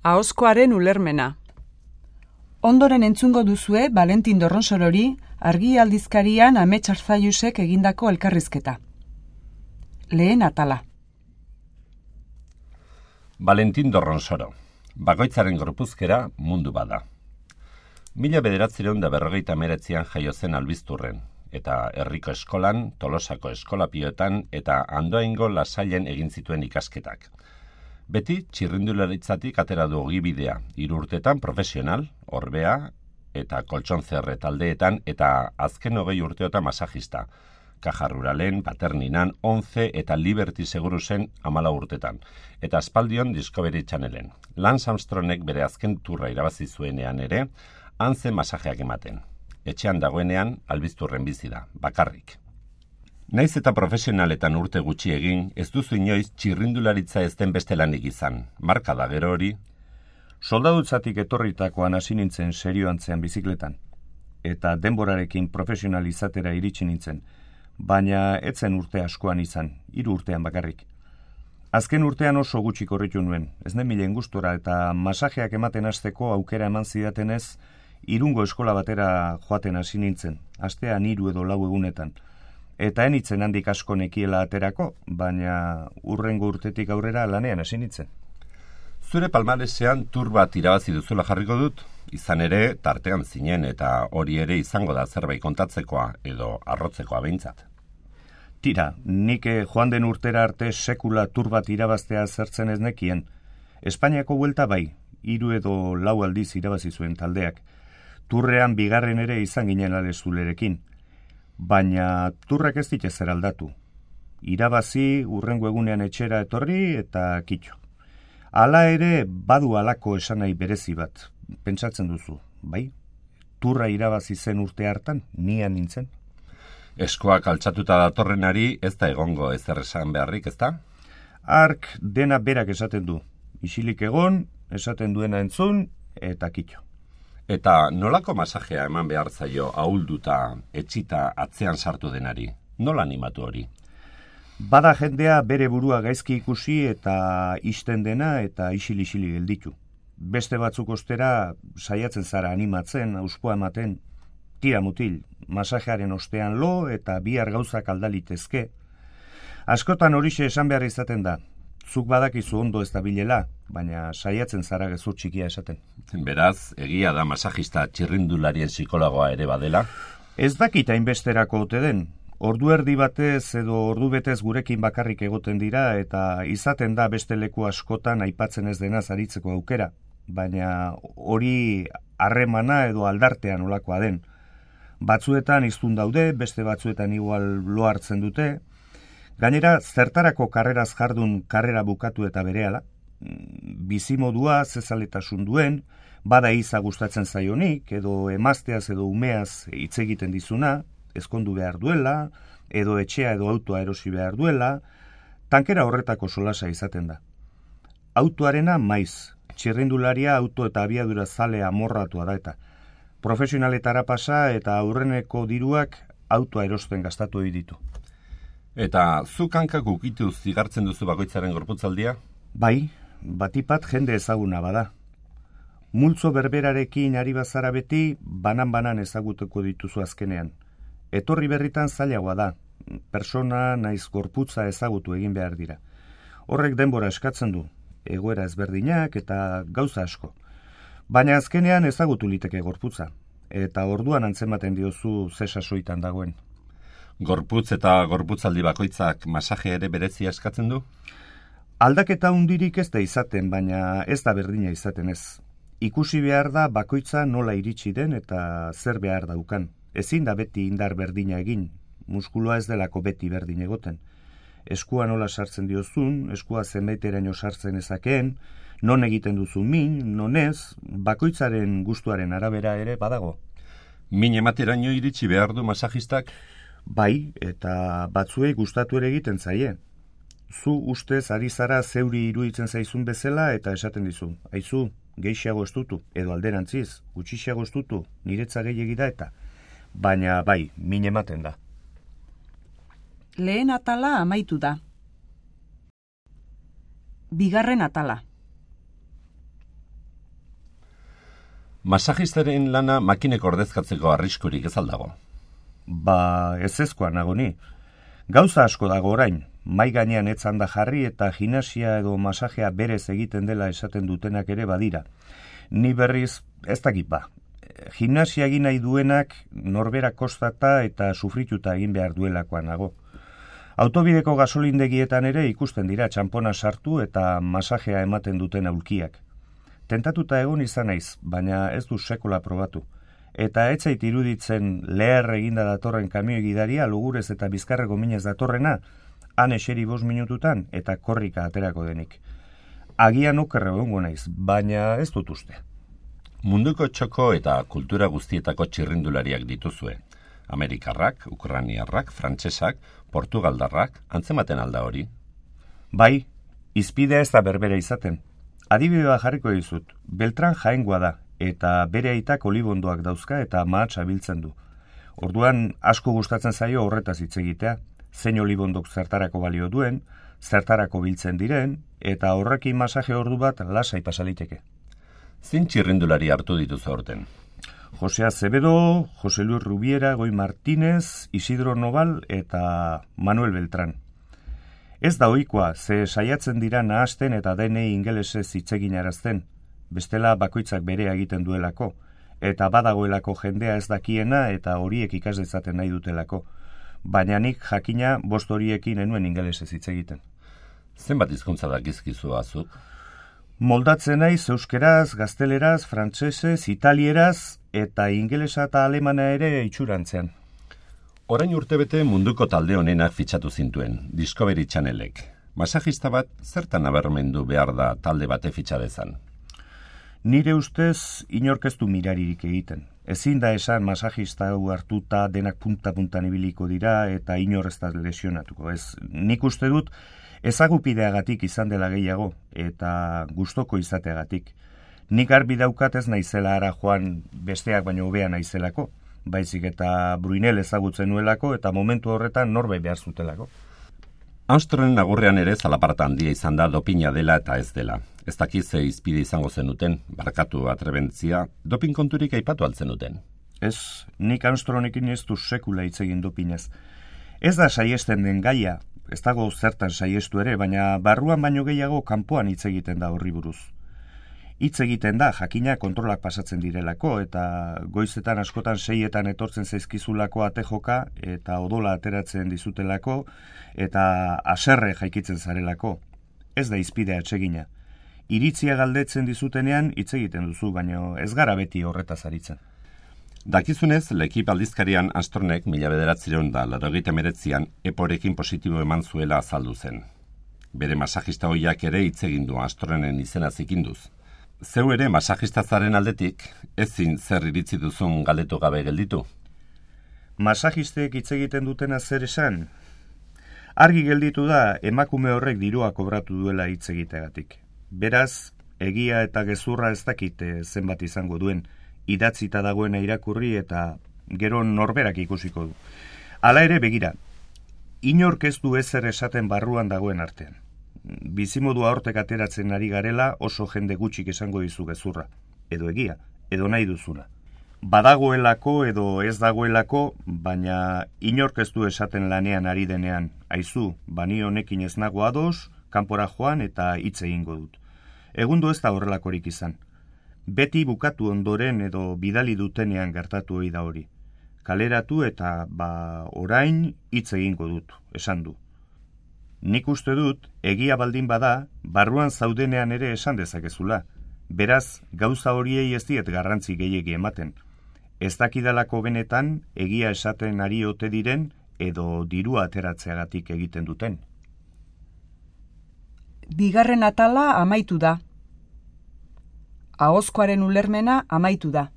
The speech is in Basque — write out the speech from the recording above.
Ahozkoaren ulermena. Ondoren entzungo duzue Valentin Dorronsorori Argi aldizkarian Amets Arzaiusek egindako elkarrizketa. Lehen atala. Valentin Dorronsoro. Bakoitzaren gorpuzkera mundu bada. 1949an jaio zen Albizturren, eta herriko eskolan, Tolosako eskolapioetan eta Andoaingo Lasailen egin zituen ikasketak. Beti txirrindularitzatik atera du ogibidea, 3 urtetan profesional, orbea eta koltxonzerre taldeetan eta azken 20 urteotan masajista. Caja Ruralen, Paterninan, 11 eta Liberty Segurusen 14 urtetan, eta aspaldion Discovery Channelen. Lance Armstrongek bere azken turra irabazi zuenean ere, hantzen masajeak ematen. Etxean dagoenean, Albizturren bizi da, bakarrik. Naiz eta profesionaletan urte gutxi egin, ez duzu inoiz txirrindularitza ez den beste lanik izan. Marka da gero hori. Soldadutzatik etorritakoan hasi nintzen serioantzean bizikletan, eta denborarekin profesional izatera iritsi nintzen, baina etzen urte askoan izan, 3 urtean bakarrik. Azken urtean oso gutxi korritu nuen, ez nemilen gustora eta masajeak ematen hasteko aukera eman zidatenez, Irungo eskola batera joaten hasi nintzen, astean 3 edo 4 egunetan. Eta enitzen handik asko nekiela aterako, baina urrengo urtetik aurrera lanean hasi nintzen. Zure palmaresean tur bat irabazi duzula jarriko dut, izan ere tartean zinen eta hori ere izango da zerbait kontatzekoa edo arrotzekoa behintzat. Tira, nik joan den urtera arte sekula tur bat irabaztea zertzen ez nekien. Espainiako buelta bai, 3 edo 4 aldiz irabazi zuen taldeak. Turrean bigarren ere izan ginen alezulerekin. Baina turrak ez dit ezer aldatu. Irabazi, urrengo egunean etxera etorri eta kitxo. Hala ere, badu halako esanai berezi bat, pentsatzen duzu, bai? Turra irabazi zen urte hartan, nian nintzen. Eskoak altxatuta datorrenari ez da egongo ezer esan beharrik, ez da? Ark dena berak esaten du. Isilik egon, esaten duena entzun, eta kitxo. Eta nolako masajea eman behar zaio ahulduta, etxita atzean sartu denari? Nola animatu hori? Bada jendea bere burua gaizki ikusi eta isten dena eta isili gelditu. Beste batzuk ostera saiatzen zara animatzen, auspoa ematen, tira mutil, masajearen ostean lo eta bihar gauzak aldalitezke. Askotan horixe esan behar izaten da. Zuk badakizu ondo ez da bilela, baina saiatzen zara gezur txikia esaten. Beraz, egia da masajista txirrindularien psikologoa ere badela? Ez dakit hainbesterako ote den. Ordu erdi batez edo ordu betez gurekin bakarrik egoten dira eta izaten da beste leku askotan aipatzen ez denaz aritzeko aukera, baina hori harremana edo aldartean olakoa den. Batzuetan hiztun daude, beste batzuetan igual lo hartzen dute. Gainera, zertarako karreraz jardun karrera bukatu eta berehala, bizimodua zezaletasun duen, bada iza gustatzen zaionik, edo emazteaz edo umeaz hitz egiten dizuna, ezkondu behar duela, edo etxea edo autoa erosi behar duela, tankera horretako solasa izaten da. Autoarena maiz, txirrindularia auto eta abiadura zale amorratua da eta profesionaletara pasa eta aurreneko diruak autoa erosten gastatu ditu. Eta zuk hankak ukitu zigartzen duzu bakoitzaren gorputzaldia? Bai, batipat jende ezaguna bada. Multzo berberarekin ari bazara beti, banan-banan ezagutuko dituzu azkenean. Etorri berritan zailagoa da, persona naiz gorputza ezagutu egin behar dira. Horrek denbora eskatzen du, egoera ezberdinak eta gauza asko. Baina azkenean ezagutu liteke gorputza, eta orduan antzematen diozu ze sasoitan dagoen. Gorputz eta gorputzaldi bakoitzak masaje ere berezia eskatzen du? Aldaketa hundirik ez da izaten, baina ez da berdina izaten ez. Ikusi behar da bakoitza nola iritsi den eta zer behar daukan. Ezin da beti indar berdina egin, muskuloa ez delako beti berdin egoten. Eskua nola sartzen diozun, eskua zenbaiteraino sartzen ezakeen, non egiten duzu min, non ez, bakoitzaren gustuaren arabera ere badago. Min emateraino iritsi behar du masajistak? Bai, eta batzuei gustatu ere egiten zaie. Zu ustez ari zara zeuri iruditzen zaizun bezala eta esaten dizu. Aizu, gehiago estutu, edo alderantziz, gutxiago estutu, niretza gehiegi da eta. Baina bai, min ematen da. Lehen atala amaitu da. Bigarren atala. Masajistaren lana makinek ordezkatzeko arriskurik ez aldago? Ezezkoa nago ni. Gauza asko dago orain, mai gainean etzan da jarri eta gimnasia edo masajea berez egiten dela esaten dutenak ere badira. Ni berriz ez dakit Gimnasia egin nahi duenak norbera kostata eta sufrituta egin behar duelakoan nago. Autobideko gasolindegietan ere ikusten dira txanpona sartu eta masajea ematen duten aulkiak. Tentatuta egon izan naiz, baina ez du sekola probatu. Eta ez zait iruditzen leher eginda datorren kamioi gidaria lugurez eta bizkarreko minez datorrena, han eseri 5 minututan eta korrika aterako denik. Agian okerre egongo naiz, baina ez dut uste. Munduko txoko eta kultura guztietako txirrindulariak dituzue. Amerikarrak, ukrainiarrak, frantsesak, portugaldarrak, antzematen alda hori? Bai, izpidea ez da berbera izaten. Adibidea jarriko dizut, Beltran Jaengoa da, eta bere aitak olibondoak dauzka eta mahatsa biltzen du. Orduan asko gustatzen zaio horretaz hitz egitea, zein olibondok zertarako balio duen, zertarako biltzen diren, eta horrekin masaje ordu bat lasai pasaliteke. Zein txirrindulari hartu dituzu aurten? Jose Acevedo, Jose Luis Rubiera, Goi Martínez, Isidro Noval eta Manuel Beltran. Ez da ohikoa, ze saiatzen dira nahasten eta denei ingelesez hitz egin arazten, bestela bakoitzak berea egiten duelako, eta badagoelako jendea ez dakiena eta horiek ikas dezaten nahi dutelako. Baina nik jakina 5 horiekin enuen ingelesez hitz egiten. Zenbat hizkuntza dakizkizu azuk? Moldatzen naiz euskeraz, gazteleraz, frantsesez, italieraz eta ingelesa eta alemana ere itxurantzean. Orain urtebete munduko talde honenak fitxatu zintuen, Discovery Channelek. Masajista bat zertan nabarmendu behar da talde bate fitxa dezan? Nire ustez inork ez du miraririk egiten. Ezin da esan masajista hau hartuta denak punta-puntan ibiliko dira eta inor ez da lesionatuko. Nik uste dut ezagupideagatik izan dela gehiago eta gustoko izateagatik. Nik garbi daukat ez naizela ara joan besteak baino hobea naizelako, baizik eta Bruinel ezagutzen nuelako eta momentu horretan norbait behar zutelako. Armstrongen agurrean ere zalaparta handia izan da dopina dela eta ez dela. Ez dakiz ze izpide izango zenuten, barkatu atrebentzia, dopin konturik aipatu altzenuten. Ez, nik Armstrongekin ez du sekula hitz egin dopinez. Ez da saiesten den gaia, ez dago zertan saiestu ere, baina barruan baino gehiago kanpoan hitz egiten da horri buruz. Hitz egiten da, jakina kontrolak pasatzen direlako, eta goizetan askotan 6etan etortzen zaizkizulako atejoka, eta odola ateratzen dizutelako, eta haserre jaikitzen zarelako. Ez da izpidea atsegina. Iritzia galdetzen dizutenean hitz egiten duzu, baina ez gara beti horretaz aritzen. Dakizunez, L'Equipe aldizkarian Armstrongek 1989an eporekin positibo eman zuela azaldu zen. Bere masajista hoiak ere hitz egin du Armstrongen izena zikinduz. Zeu ere masajista zaren aldetik, ezin zer iritzi duzun galdetu gabe gelditu? Masajistek hitz egiten dutena zer esan? Argi gelditu da emakume horrek dirua kobratu duela hitz egiteagatik. Beraz, egia eta gezurra ez dakite zenbat izango duen, idatzita dagoena irakurri eta gero norberak ikusiko du. Hala ere begira, inork ez du ezer esaten barruan dagoen artean. Bizimodua hortek ateratzen ari garela oso jende gutxik esango dizu gezurra. Edo egia, edo nahi duzuna. Badagoelako edo ez dagoelako, baina inork ez du esaten lanean ari denean. Aizu, bani honekin ez nago ados, kanpora joan eta hitz egingo dut. Egundo ez da horrelakorik izan. Beti bukatu ondoren edo bidali dutenean gertatu ohi da hori. Kaleratu eta orain hitz egingo dut, esan du. Nik uste dut, egia baldin bada, barruan zaudenean ere esan dezakezula. Beraz, gauza horiei ez diet garrantzi gehiegi ematen. Ez dakidalako benetan, egia esaten ari ote diren, edo dirua ateratzeagatik egiten duten. Bigarren atala amaitu da. Ahozkoaren ulermena amaitu da.